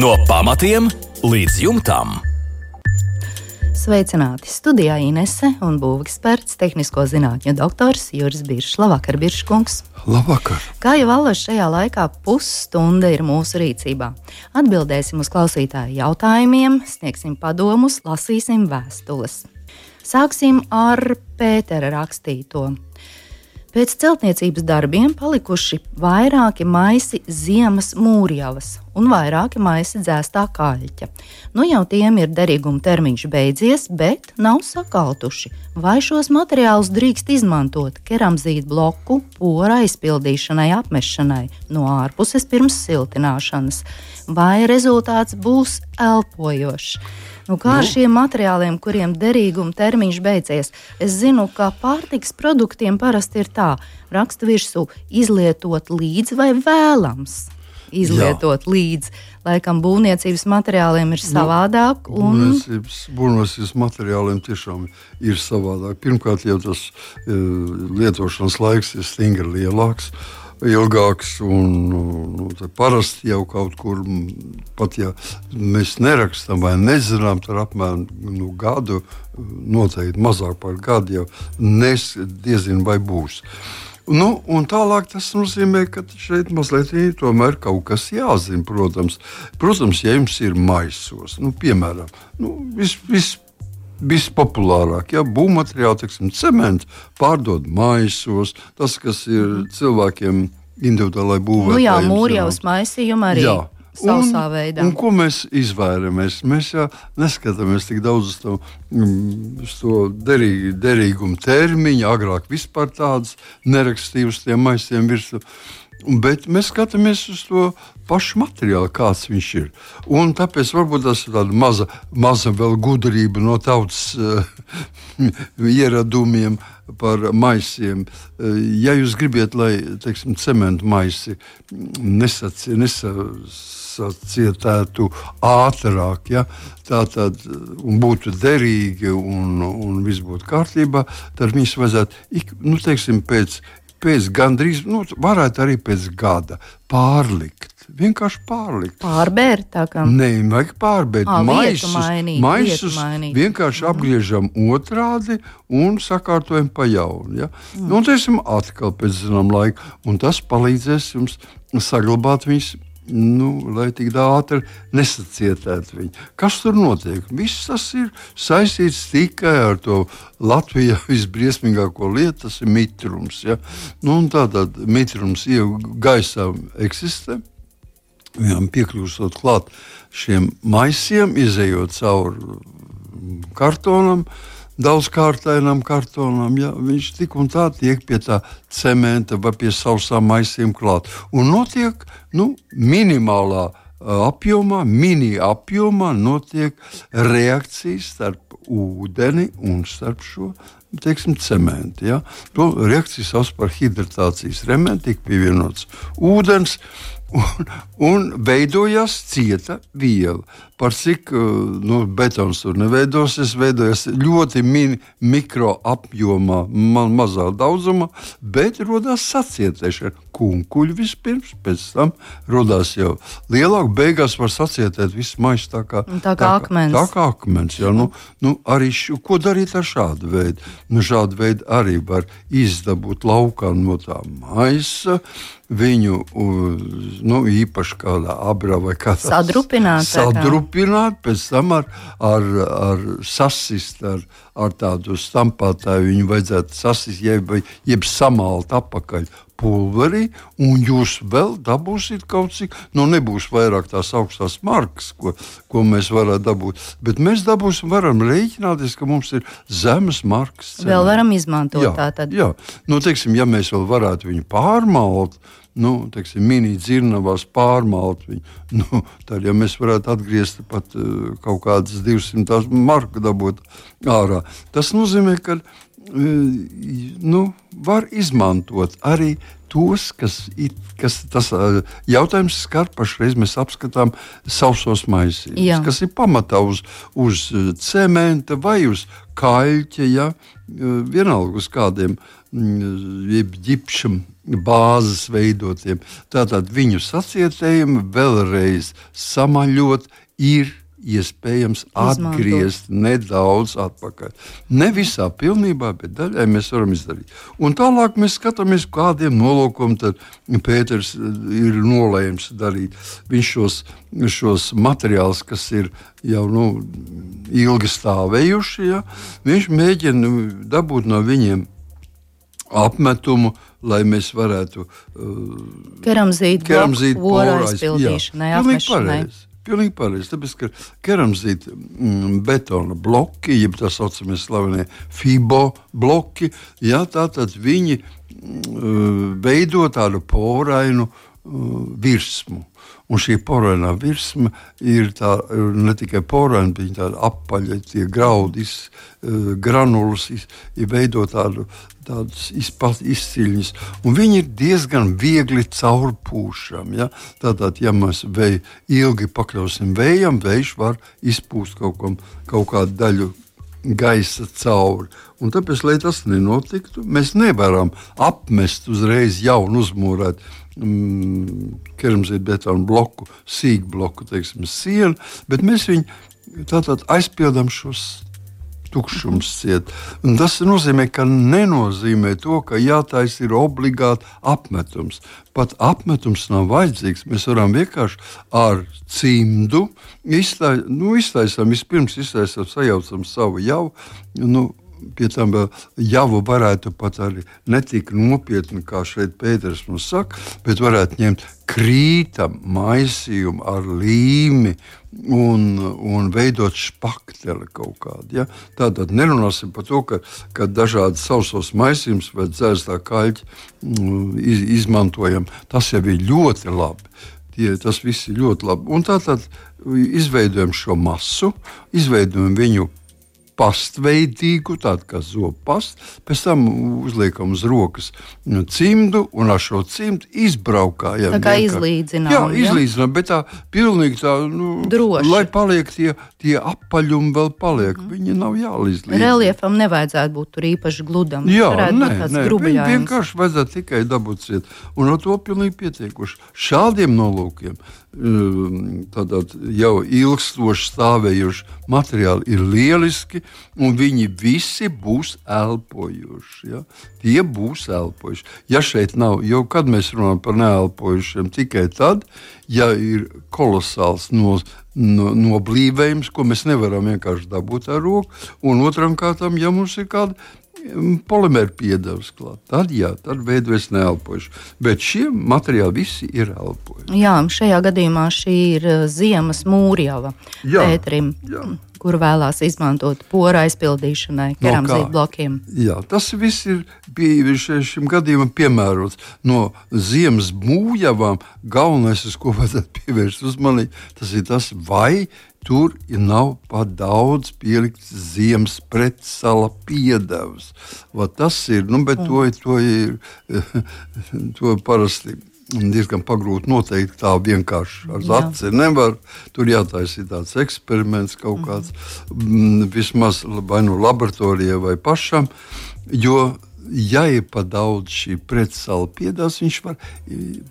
No pamatiem līdz jumtam. Sveicināti! Studijā Inese un būveksperts, tehnisko zinātņu doktors Juris Biršs. Labvakar, Birškungs! Labvakar! Kā jau allaž šajā laikā pusstunda ir mūsu rīcībā. Atbildēsim uz klausītāju jautājumiem, sniegsim padomus, lasīsim vēstules. Sāksim ar Pētera rakstīto. Pēc celtniecības darbiem palikuši vairāki maisi ziemas mūrjavas un vairāki maisi dzēstā kaļķa. Nu jau tiem ir derīguma termiņš beidzies, bet nav sakaltuši. Vai šos materiālus drīkst izmantot keramzītu bloku pora aizpildīšanai, apmešanai no ārpuses pirms siltināšanas? Vai rezultāts būs elpojošs? Kā ar šiem materiāliem, kuriem derīguma termiņš beidzies? Es zinu, ka pārtikas produktiem parasti ir tā, raksta virsū izlietot līdz vai vēlams izlietot līdz. Laikam būvniecības materiāliem ir savādāk. Būvniecības materiāliem tiešām ir savādāk. Pirmkārt, jau tas lietošanas laiks ir stingri lielāks, ilgāks, un parasti jau kaut kur, pat ja mēs nerakstam vai nezinām, tad apmēram gadu, noteikti mazāk par gadu jau diezin vai būs. Un tālāk tas nozīmē, ka šeit mazliet tomēr kaut kas jāzina, protams. Protams, ja jums ir maisos, piemēram, vispopulārāk, būvmateriāli, teiksim, cementu pārdod maisos, tas, kas ir cilvēkiem individuālai būvētājiem. Mūrjavas maisījuma arī. Sausā veidā. Un ko mēs izvairamies? Mēs jau neskatāmies tik daudz uz to derīgumu termiņu, agrāk vispār tādas nerakstīja uz tiem maisiem virsū. Bet mēs skatāmies uz to pašu materiālu, kāds viņš ir. Un tāpēc varbūt tas ir tāda maza vēl gudrība no tautas ieradumiem par maisiem. Ja jūs gribat, lai, teiksim, cementu maisi nesacietētu ātrāk, tātad, un būtu derīgi un viss būtu kārtībā, tad viņus vajadzētu, teiksim, pēc gandrīz, varētu arī pēc gada pārlikt. Vienkārši pārlikt. Pārbērt tā kā? Nē, vajag pārbērt. Maisus vienkārši apgriežam otrādi un sakārtojam pa jaunu. Ja? Un teiksim atkal pēc zinām laika. Un tas palīdzēs jums saglabāt viņus, lai tik ātri nesacietētu viņu. Kas tur notiek? Viss tas ir saistīts tikai ar to Latvijā visbriesmīgāko lietu, tas ir mitrums. Ja? Un tātad mitrums gaisā eksistē. Viņam piekļūstot klāt šiem maisiem, izejot cauri kartonam, daudzkārtainam kartonam, viņš tik un tā tiek pie tā cementa vai pie sausām maisiem klāt. Un notiek, minimālā apjomā, mini apjomā notiek reakcijas starp ūdeni un starp šo, teiksim, cementu. Ja? To reakciju sauc par hidratācijas rementu, tiek pievienots ūdens, un veidojās cieta viela. Par cik betons tur neveidosies, veidojas ļoti mikro apjomā, mazā daudzumā, bet rodās sacietēšana. Kunkuļi vispirms, pēc tam rodās jau lielāk, beigās var sacietēt visu maisu tā kā akmens. Tā kā akmens, arī ko darīt ar šādu veidu? Šādu veidu arī var izdabūt laukā no tā maisa, viņu, īpaši kādā abrā vai kādā sadrupināt, pēc tam ar sasist, ar tādu stampātāju viņu vajadzētu sasist, jeb samalt apakaļ pulverī, un jūs vēl dabūsiet kaut cik, nebūs vairāk tās augstās markas, ko mēs varētu dabūt, bet mēs varam rēķināties, ka mums ir zemes markas cena. Vēl varam izmantot tātad. Jā, teiksim, ja mēs vēl varētu viņu pārmalt, teiksim, mini dzirnavās pārmalt viņu, tad, ja mēs varētu atgriezt pat kaut kādas 200 marku dabūt ārā, tas nozīmē, ka var izmantot arī tos, kas tas jautājums skar pašreiz, mēs apskatām sausos maisījumus, kas ir pamatā uz cementa vai uz kaļķa, vienalga uz kādiem ģipša bāzes veidotiem. Tātad viņu sacietējumi vēlreiz samaļot ir iespējams atgriezt nedaudz atpakaļ. Ne visā pilnībā, bet daļai mēs varam izdarīt. Un tālāk mēs skatāmies, kādiem nolūkiem tad Pēters ir nolēms darīt. Viņš šos materiālus, kas ir jau ilgi stāvējuši, viņš mēģina dabūt no viņiem apmetumu, lai mēs varētu keramzītu bloku aizpildīšanai, apmešanai. Pilnīgi pareizi, tāpēc, ka keramzīta betona bloki, jeb tā saucamie slavenie FIBO bloki, tātad viņi veido tādu porainu virsmu. Un šī porainā virsma ir ne tikai poraina, bet tāda apaļa, tie graudi, granulas, veido tādas izciļņas. Un viņi ir diezgan viegli caurpūšami. Ja? Tātad, ja mēs ilgi pakļausim vējam, vējš var izpūst kaut kādu daļu gaisa cauri. Un tāpēc, lai tas nenotiktu, mēs nevaram apmest uzreiz jaunu uzmūrēt keramzīta betona bloku, sīkbloku, sienu, bet mēs viņu tātad aizpildām šos tukšums ciet. Un tas nozīmē, ka nenozīmē to, ka jātaisa ir obligāti apmetums. Pat apmetums nav vajadzīgs. Mēs varam vienkārši ar cimdu iztaisām, sajaucam savu javu, pie tam vēl javu varētu pat arī netik nopietni, kā šeit Pēters mums saka, bet varētu ņemt krītam maisījumu ar līmi un veidot špakteli kaut kādu. Ja? Tātad nerunāsim par to, ka dažādi sausos maisījumus vai dzērstā kaļķi izmantojam. Tas jau ir ļoti labi. Tas viss ir ļoti labi. Un tātad izveidojam šo masu, izveidojam viņu pastveidīgu, tādu kā zopastu, pēc tam uzliekam uz rokas cimdu un ar šo cimdu izbraukājam. Tā kā izlīdzinām. Jā, izlīdzinām, bet tā pilnīgi tā, droši. Lai paliek tie apaļumi vēl paliek, viņi nav jāizlīdzina. Reliefam nevajadzētu būt tur īpaši gludam. Jā, vienkārši vajadzētu tikai dabūt ciet. Un ar to pilnīgi pietiekuši. Šādiem nolūkiem tātad jau ilgstoši stāvējuši materiāli ir lieliski, un viņi visi būs elpojuši. Ja? Tie būs elpojuši. Ja šeit nav, jo kad mēs runājam par neelpojušiem, tikai tad, ja ir kolosāls noblīvējums, ko mēs nevaram vienkārši dabūt ar roku, un otram kārtām, ja mums ir kāda polimēra piedevs klāt, tad veidojas neelpojuši. Bet šie materiāli visi ir elpojuši. Jā, šajā gadījumā šī ir ziemas mūrjava Pēterim, kur vēlās izmantot pora aizpildīšanai, keramzīta blokiem. Jā, tas viss ir šim gadījumam piemērots. No ziemas mūrjavām galvenais, uz ko vajadzētu pievērst uzmanību, tas ir tas, vai tur nav pat daudz pielikts ziemas pretsala piedevs. Tas ir, bet to parasti diezgan pagrūti noteikt tā vienkārši ar aci nevar. Tur jātaisa tāds eksperiments kaut kāds, vismaz vai laboratorijai vai pašam, jo ja ir pa daudz šī pretsala piedevs, viņš var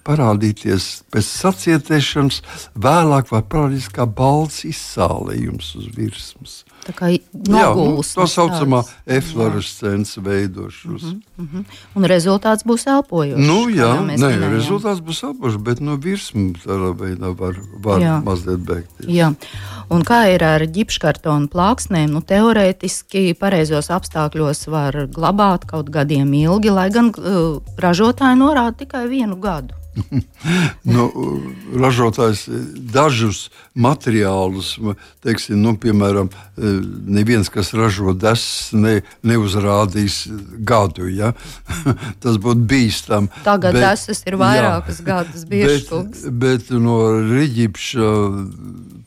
parādīties pēc sacietēšanas, vēlāk var parādīties kā balts izsālējums uz virsmas. Tā kā nogulsnes. Tā saucamā eflorescence veidošos. Un rezultāts būs elpojošs. Rezultāts būs elpojošs, bet no virsmas tādā veidā var mazliet beigties. Jā. Un kā ir ar ģipškartonu plāksnēm? Teorētiski pareizos apstākļos var glabāt kaut gadiem ilgi, lai gan ražotāji norāda tikai 1 gadu. Ražotājs dažus materiālus, piemēram, neviens, kas ražo desas, neuzrādīs gadu. Ja? Tas būtu bīstam. Tagad desas ir vairākas gadus biežs. Bet no riģipša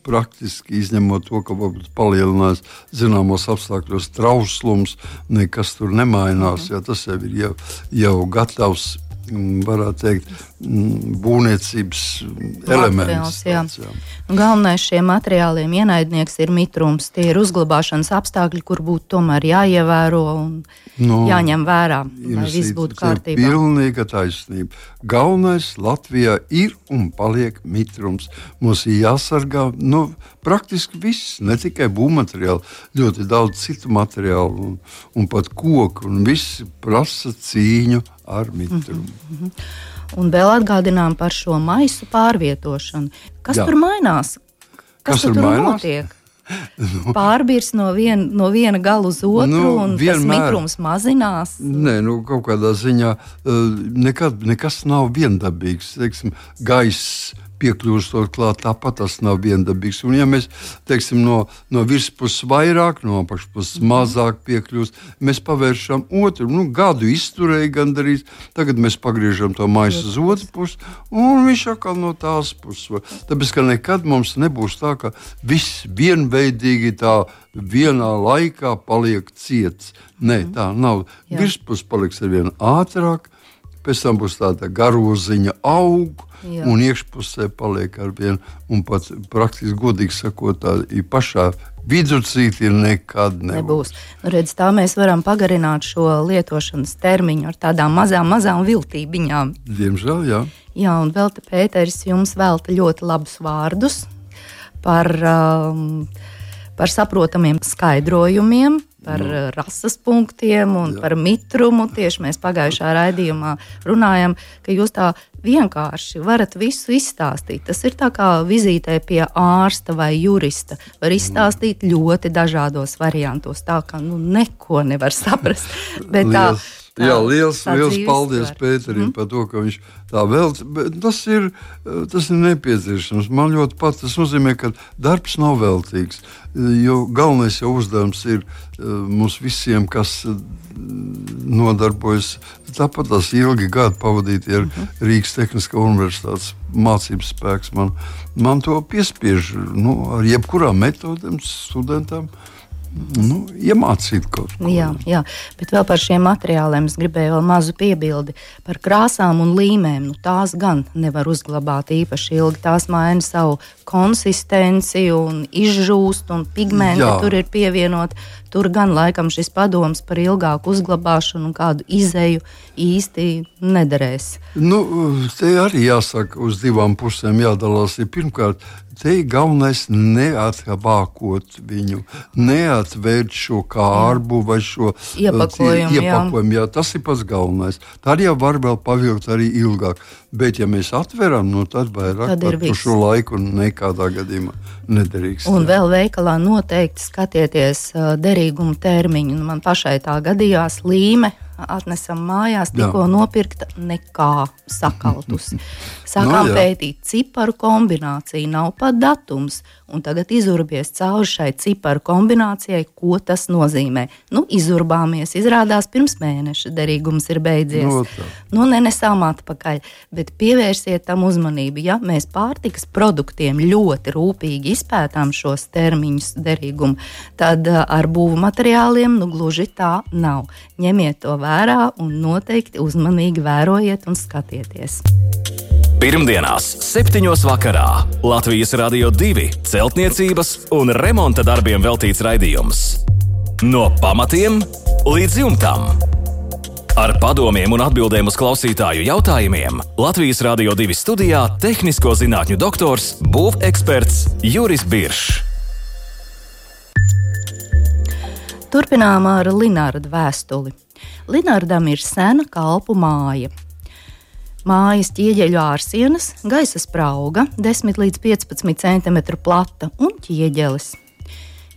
praktiski izņemot to, ka varbūt palielinās zināmos apstākļos trauslums, nekas tur nemainās. Ja? Tas jau ir jau gatavs varētu teikt, būvniecības elements. Galvenais šiem materiāliem ienaidnieks ir mitrums. Tie ir uzglabāšanas apstākļi, kur būtu tomēr jāievēro un jāņem vērā, lai viss būtu kārtībā. Pilnīga taisnība. Galvenais Latvijā ir un paliek mitrums. Mums ir jāsargā praktiski viss, ne tikai būvmateriāli, ļoti daudz citu materiālu un pat koku, un viss prasa cīņu ar mitrumu. Un vēl atgādinām par šo maisu pārvietošanu. Kas tur mainās? Kas tur notiek? Pārbirs no viena gala uz otru, un tas mitrums mazinās? Nē, kaut kādā ziņā nekas nav viendabīgs. Teiksim, gaiss piekļūstot klāt, tāpat tas nav viendabīgs. Un ja mēs, teiksim, no virspuses vairāk, no apakšpuses mazāk piekļūst, mēs pavēršam otru, gadu izturēja gandarīz, tagad mēs pagriežam to maisu uz otru pusi, un viņš atkal no tās puses. Tāpēc, ka nekad mums nebūs tā, ka viss vienveidīgi tā vienā laikā paliek ciets. Nē, tā nav. Virspus paliks ar vienu ātrāk, pēc tam būs tāda garoziņa aug, un iekšpusē paliek ar vienu, un pat praktiski godīgi sakot, tā pašā viducītī nekad nebūs. Redz, tā mēs varam pagarināt šo lietošanas termiņu ar tādām mazām viltībiņām. Diemžēl, jā. Jā, un vēl te Pēteris jums velta ļoti labus vārdus par saprotamiem skaidrojumiem, par rases punktiem un par mitrumu. Tieši mēs pagājušā raidījumā runājam, ka jūs tā vienkārši varat visu izstāstīt. Tas ir tā kā vizītē pie ārsta vai jurista. Var izstāstīt ļoti dažādos variantos, tā kā neko nevar saprast. Bet liels paldies Pēterim par to, ka viņš tā velc. Tas ir nepieciešams. Man ļoti pat tas nozīmē, ka darbs nav veltīgs. Jo galvenais jau uzdevums ir mums visiem, kas nodarbojas. Tāpat tas ilgi gadi pavadīti ar Rīgas Tehniskā universitātes mācības spēks. Man to piespiež ar jebkurām metodēm studentam. Iemācīt kaut ko. Jā, bet vēl par šiem materiāliem es gribēju vēl mazu piebildi par krāsām un līmēm. Tās gan nevar uzglabāt īpaši ilgi. Tās maina savu konsistenci un izžūst, un pigmenti tur ir pievienot. Tur gan laikam šis padoms par ilgāku uzglabāšanu un kādu izeju īsti nederēs. Te arī jāsaka, uz divām pusēm jādalās. Pirmkārt, te ir galvenais neatbākot viņu, neatvērt šo kārbu vai šo iepakojumu. Jā, tas ir pats galvenais. Tad jau var vēl pavilkt arī ilgāk. Bet, ja mēs atveram, tad vairāk par šo laiku nekādā gadījumā nederīgs. Un vēl veikalā noteikti skatieties derīgumu termiņu. Man pašai tā gadījās līme. Atnesam mājās, tikko nopirkta, nekā sakaltusi. Sākām pētīt ciparu kombināciju, nav pat datums, un tagad izurbies cauri šai ciparu kombinācijai, ko tas nozīmē. Izurbāmies, izrādās pirms mēneša derīgums ir beidzies. Nenesām atpakaļ, bet pievērsiet tam uzmanību. Ja mēs pārtikas produktiem ļoti rūpīgi izpētām šos termiņus derīgumu, tad ar būvu materiāliem gluži tā nav. Ņemiet to vērā un noteikti uzmanīgi vērojiet un skatieties. Pirmdienās 7. vakarā Latvijas Radio 2 celtniecības un remonta darbiem veltīts raidījums. No pamatiem līdz jumtam. Ar padomiem un atbildēm uz klausītāju jautājumiem Latvijas Radio 2 studijā tehnisko zinātņu doktors, būveksperts Juris Biršs. Turpinām ar Linārda vēstuli. Linārdam ir sena kalpu māja. Mājas ķieģeļu ārsienas, gaisa sprauga, 10 līdz 15 cm plata un ķieģelis.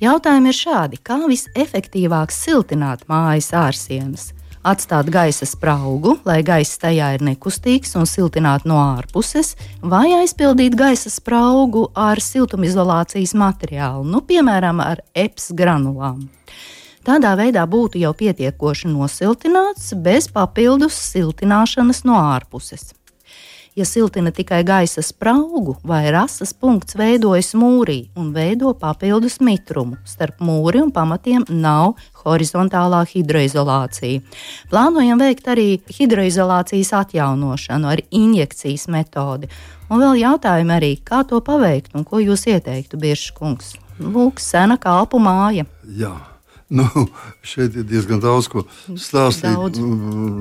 Jautājumi ir šādi: kā visefektīvāk siltināt mājas ārsienas? Atstāt gaisa spraugu, lai gaiss tajā ir nekustīgs un siltināt no ārpuses, vai aizpildīt gaisa spraugu ar siltumizolācijas materiālu, piemēram, ar EPS granulām. Tādā veidā būtu jau pietiekoši nosiltināts bez papildus siltināšanas no ārpuses. Ja siltina tikai gaisa spraugu vai rasas punkts veidojas mūrī un veido papildus mitrumu. Starp mūri un pamatiem nav horizontālā hidroizolācija. Plānojam veikt arī hidroizolācijas atjaunošanu ar injekcijas metodi. Un vēl jautājumi arī, kā to paveikt un ko jūs ieteiktu, Birša kungs? Lūk, sena kalpu māja. Jā. Šeit ir diezgan daudz ko stāstīt.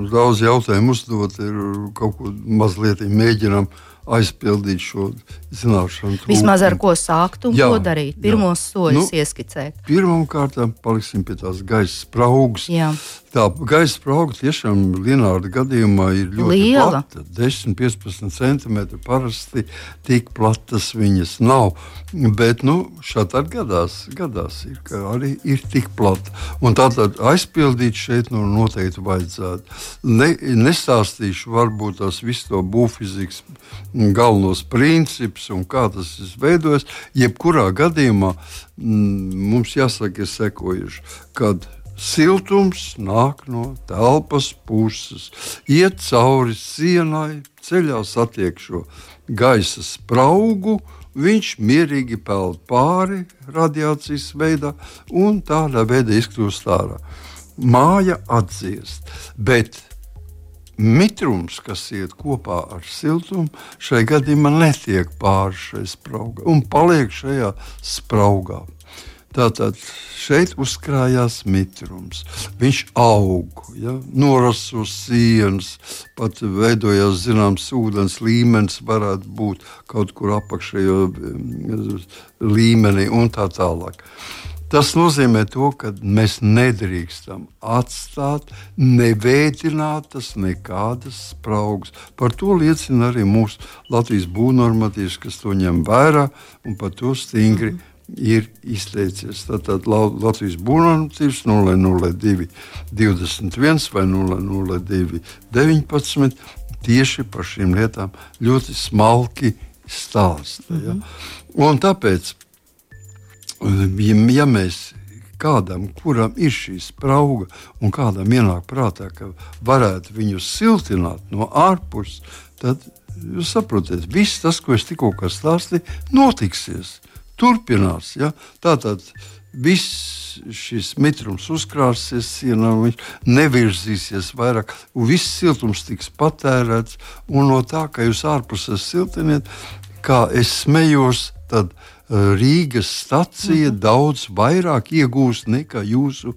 Daudz jautājumu uzdot, ir kaut ko mazliet mēģinām aizpildīt šo zināšanu trūkumu. Vismaz ar ko sākt un ko darīt? Pirmos soļus ieskicēt. Pirmkārt, paliksim pie tās gaisa spraugas. Jā. Tā gaisa sprauga tiešām Lienārda gadījumā ir ļoti liela. Plata. 10-15 centimetri parasti tik platas viņas nav. Bet šādi gadās ir, ka arī ir tik plata. Un tātad aizpildīt šeit noteikti vajadzētu. Nestāstīšu varbūt tās visu to būvfizikas galvenos principus un kā tas veidojas. Jebkurā gadījumā mums jāsaka ir sekojuši, kad siltums nāk no telpas puses, iet cauri sienai, ceļā satiek šo gaisa spraugu, viņš mierīgi peld pāri radiācijas veidā un tādā veidā izkļūst ārā. Māja atdziest, bet mitrums, kas iet kopā ar siltumu, šai gadījumā netiek pāri šai spraugā un paliek šajā spraugā. Tātad šeit uzkrājās mitrums. Viņš aug, norasa uz sienas, pat veidojās zināms ūdens līmenis, varētu būt kaut kur apakšējo līmenī un tā tālāk. Tas nozīmē to, ka mēs nedrīkstam atstāt neveidinātas nekādas spraugas. Par to liecina arī mūsu Latvijas būvnormatīvs, kas to ņem vērā un par to stingri ir izteicies. Tātad Latvijas būvnormatīvs 002 21 vai 002 19 tieši par šīm lietām ļoti smalki stāsta. Ja? Un tāpēc, ja mēs kādam, kuram ir šī sprauga un kādam ienāk prātā, ka varētu viņu siltināt no ārpuses, tad jūs saprotiet, viss tas, ko es tikko stāstīju, notiksies. Turpinās. Ja? Tātad viss šis mitrums uzkrāsies sienā, viņš nevirzīsies vairāk, un viss siltums tiks patērēts. Un no tā, ka jūs ārpusē siltiniet, kā es smējos, tad Rīgas stacija daudz vairāk iegūst nekā jūsu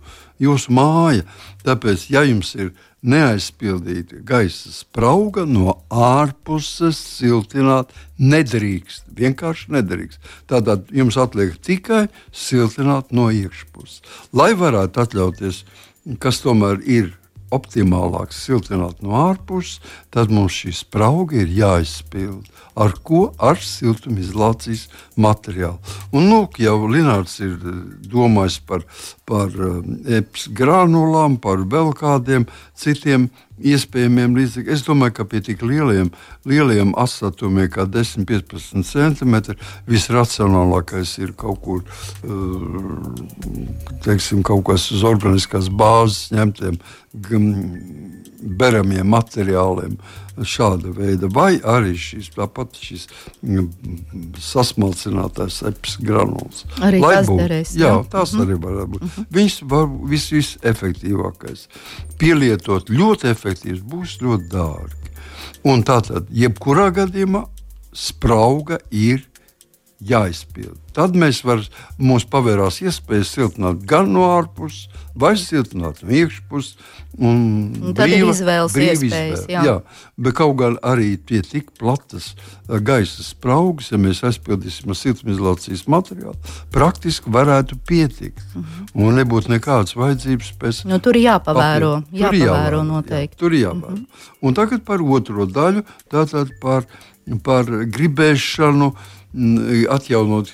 māja. Tāpēc, ja jums ir neaizpildīta gaisa sprauga, no ārpuses siltināt nedrīkst. Vienkārši nedrīkst. Tātad jums atliek tikai siltināt no iekšpuses. Lai varētu atļauties, kas tomēr ir optimālāk siltināt no ārpuses, tad mums šī sprauga ir jāizpild. Ar ko? Ar siltumizolācijas materiālu. Un jau Linārds ir domājis par EPS granulām, par vēl kādiem citiem iespējamiem līdzekļiem. Es domāju, ka pie tik lieliem asatumiem kā 10-15 centimetri visracionālākais ir kaut kur, kaut kas uz organiskās bāzes ņemtiem beramiem materiāliem šāda veida, vai arī šis sasmalcinātais EPS granuls. Arī tas derēs. Jā, tas arī varētu būt. Viņš var visefektīvākais. Pielietot ļoti efektīvs būs ļoti dārgi. Un tātad, jebkurā gadījumā sprauga ir jāizpild. Tad mums pavērās iespējas siltināt gan no ārpuses, vai siltināt no iekšpuses. Tad ir izvēles iespējas. Jā, bet kaut gan arī tie tik platas gaisa spraugas, ja mēs aizpildīsim ar siltumizolācijas materiālu, praktiski varētu pietikt. Un nebūtu nekādas vajadzības pēc. Tur jāpavēro noteikti. Tur jāpavēro. Un tagad par otro daļu, tātad par gribēšanu atjaunot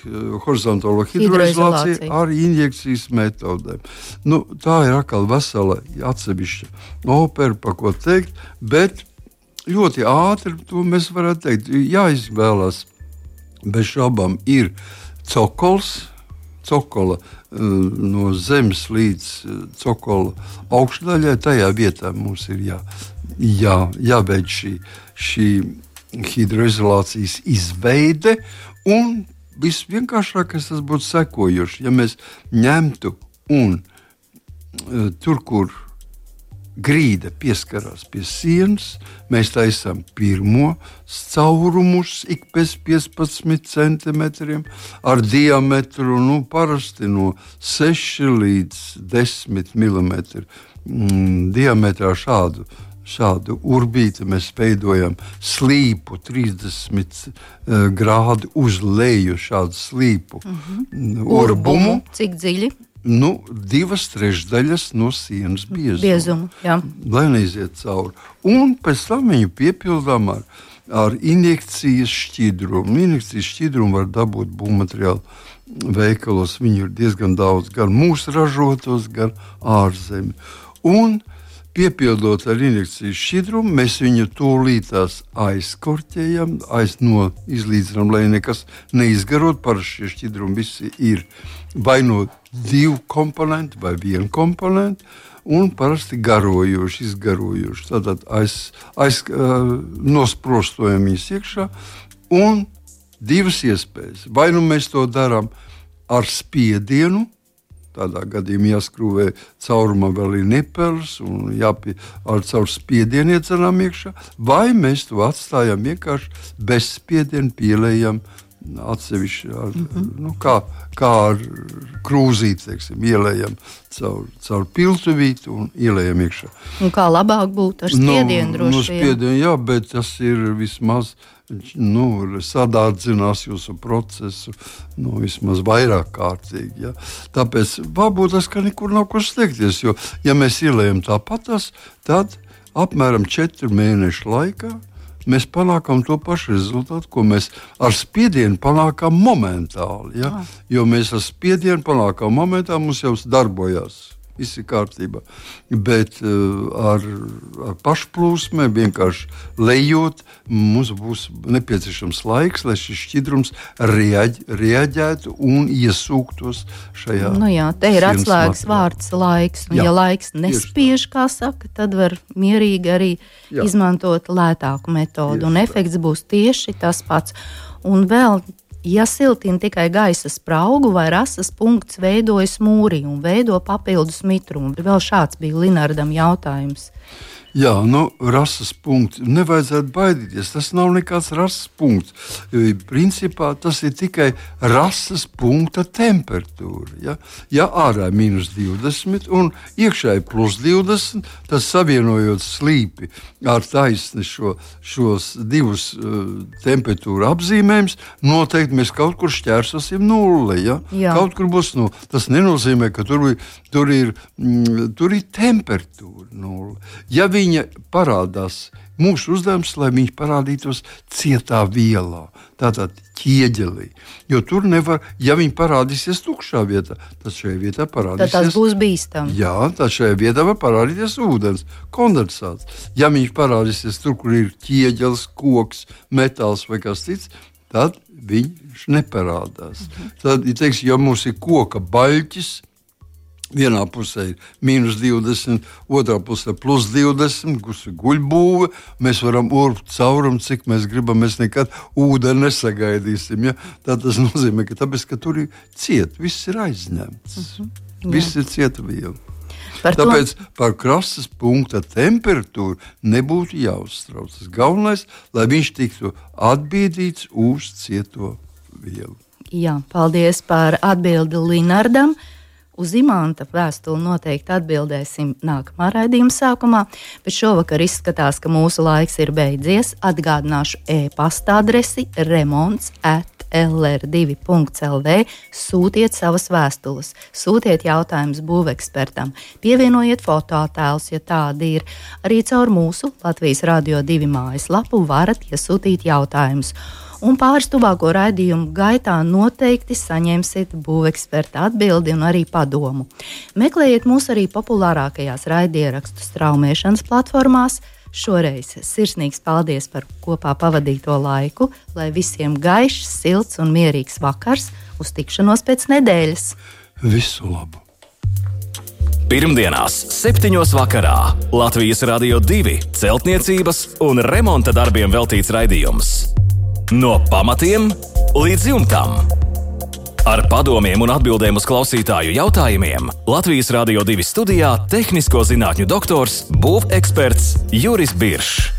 horizontālo hidroizolāciju ar injekcijas metodēm. Tā ir atkal vesela atsevišķa opera, par ko teikt, bet ļoti ātri to mēs varētu teikt. Jāizvēlas bez šaubām ir cokola no zemes līdz cokola augšdaļai. Tajā vietā mums ir jāveic šī hidroizolācijas izveide, un visvienkāršākais tas būtu sekojoši. Ja mēs ņemtu un tur, kur grīda pieskarās pie sienas, mēs taisām pirmo caurumus ik pēc 15 centimetriem ar diametru parasti no 6 līdz 10 mm diametrā šādu urbīti mēs veidojam slīpu 30 grādu uz leju šādu slīpu urbumu. Cik dziļi? 2/3 no sienas biezumu, lai neiziet cauri. Un pēc tam viņu piepildām ar injekcijas šķidrumu. Injekcijas šķidrumu var dabūt būvmateriālu veikalos. Viņu ir diezgan daudz, gan mūsu ražotos, gan ārzemju. Un piepildot ar injekcijas šķidrumu, mēs viņu tūlītās aizkorķējam, izlīdzinām, lai nekas neizgarot. Parasti šie šķidrumi visi ir vai no 2 komponenti vai 1 komponenti, un parasti garojoši, izgarojoši. Tātad nosprostojam viņus iekšā, un 2 iespējas. Vai mēs to darām ar spiedienu, tādā gadījumā jāskrūvē caurumā vēl ir nipelis un caur spiedienu iedzenām iekšā, vai mēs to atstājam vienkārši bez spiediena, pielējam atsevišķi kā ar krūzīti, ielējam caur piltuvīti un ielējam iekšā. Un kā labāk būtu ar spiedienu droši vien? Spiedienu, jā, bet tas ir vismaz sadārdzinās jūsu procesu vismaz vairāk kārtīgi. Ja? Tāpēc varbūt tas, ka nekur nav kur sliekties, jo ja mēs ielējam tāpatās, tad apmēram 4 mēnešu laikā mēs panākam to pašu rezultātu, ko mēs ar spiedienu panākam momentāli. Ja? Jo mēs ar spiedienu panākam momentāli, mums jau darbojās. Viss ir kārtībā. Bet ar pašplūsmē vienkārši lejot, mums būs nepieciešams laiks, lai šis šķidrums reaģētu un iesūktos šajā. Te ir atslēgas vārds laiks. Ja laiks nespiež, kā saka, tad var mierīgi arī izmantot lētāku metodu. Un efekts būs tieši tas pats. Un vēl, ja siltina tikai gaisa spraugu vai rasas punkts veidojas mūrī un veido papildus mitrumu. Vēl šāds bija Linardam jautājums. Jā, rases punkts. Nevajadzētu baidīties. Tas nav nekāds rases punkts. Principā tas ir tikai rases punkta temperatūra. Ja ārā ir -20 un iekšā ir +20, tad savienojot slīpi ar taisni šos divus temperatūra apzīmējumus, noteikti mēs kaut kur šķērsosim nulli. Ja? Kaut kur būs nulli. Tas nenozīmē, ka tur ir temperatūra nulli. Ja viņa parādās, mūsu uzdevums, lai viņš parādītos cietā vielā, tātad ķieģelī. Jo tur nevar, ja viņi parādīsies tukšā vietā, tad šajā vietā parādīsies. Tad tas būs bīstami. Jā, tad šajā vietā var parādīties ūdens, kondensāts. Ja viņš parādīsies tur, kur ir ķieģelis, koks, metāls vai kas cits, tad viņš neparādās. Tad, ja mums ir koka baļķis, vienā pusē ir -20, otrā pusē +20, kurš ir guļbūve. Mēs varam urbt caurumu, cik mēs gribam. Mēs nekad ūdeni nesagaidīsim. Ja? Tā tas nozīmē, ka tur ir ciet, viss ir aizņemts. Viss ir cieta viela. Tāpēc par krastes punkta temperatūru nebūtu jāuztrauc. Tas galvenais, lai viņš tiktu atbīdīts uz cieto vielu. Jā, paldies par atbildi Linardam. Uz Imanta vēstuli noteikti atbildēsim nākamā raidījuma sākumā, bet šovakar izskatās, ka mūsu laiks ir beidzies. Atgādināšu e-pasta adresi remonts@lr2.lv. Sūtiet savas vēstules, sūtiet jautājumus būvekspertam, pievienojiet fotoattēlus, ja tādi ir. Arī caur mūsu Latvijas Radio 2 mājaslapu varat iesūtīt jautājumus. Un pāris tuvāko raidījumu gaitā noteikti saņemsiet būveksperta atbildi un arī padomu. Meklējiet mūs arī populārākajās raidierakstu straumēšanas platformās. Šoreiz sirsnīgs paldies par kopā pavadīto laiku, lai visiem gaišs, silts un mierīgs vakars. Uz tikšanos pēc nedēļas! Visu labu! Pirmdienās, 7. vakarā Latvijas Radio 2 celtniecības un remonta darbiem veltīts raidījums. No pamatiem līdz jumtam. Ar padomiem un atbildēm uz klausītāju jautājumiem Latvijas Radio 2 studijā tehnisko zinātņu doktors, būveksperts Juris Biršs.